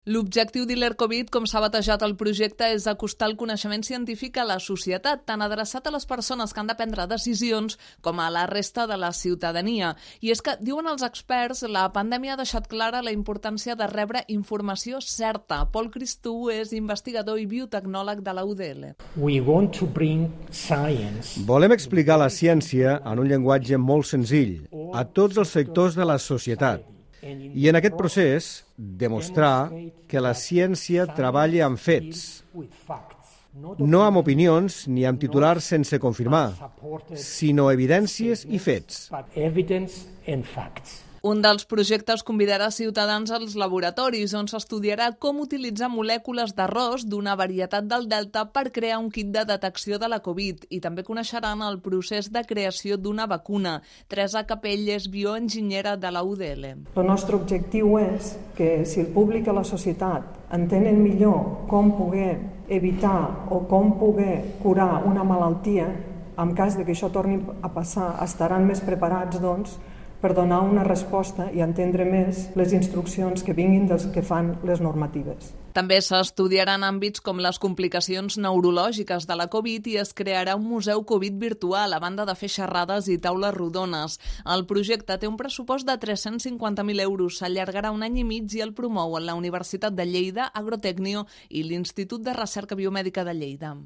L'objectiu d'Ilercovid, com s'ha batejat el projecte, és acostar el coneixement científic a la societat, tant adreçat a les persones que han de prendre decisions com a la resta de la ciutadania. I és que, diuen els experts, la pandèmia ha deixat clara la importància de rebre informació certa. Pol Cristú és investigador i biotecnòleg de la UDL. Volem explicar la ciència en un llenguatge molt senzill a tots els sectors de la societat. I en aquest procés, demostrar que la ciència treballa amb fets, no amb opinions ni amb titulars sense confirmar, sinó evidències i fets. Un dels projectes convidarà ciutadans als laboratoris, on s'estudiarà com utilitzar molècules d'arròs d'una varietat del Delta per crear un kit de detecció de la Covid, i també coneixeran el procés de creació d'una vacuna. Teresa Capell és bioenginyera de la UDL. El nostre objectiu és que si el públic i la societat entenen millor com poder evitar o com poder curar una malaltia, en cas de que això torni a passar, estaran més preparats, doncs, per donar una resposta i entendre més les instruccions que vinguin dels que fan les normatives. També s'estudiaran àmbits com les complicacions neurològiques de la Covid i es crearà un museu Covid virtual, a banda de fer xerrades i taules rodones. El projecte té un pressupost de 350.000 euros, s'allargarà un any i mig i el promouen la Universitat de Lleida, Agrotecnio i l'Institut de Recerca Biomèdica de Lleida.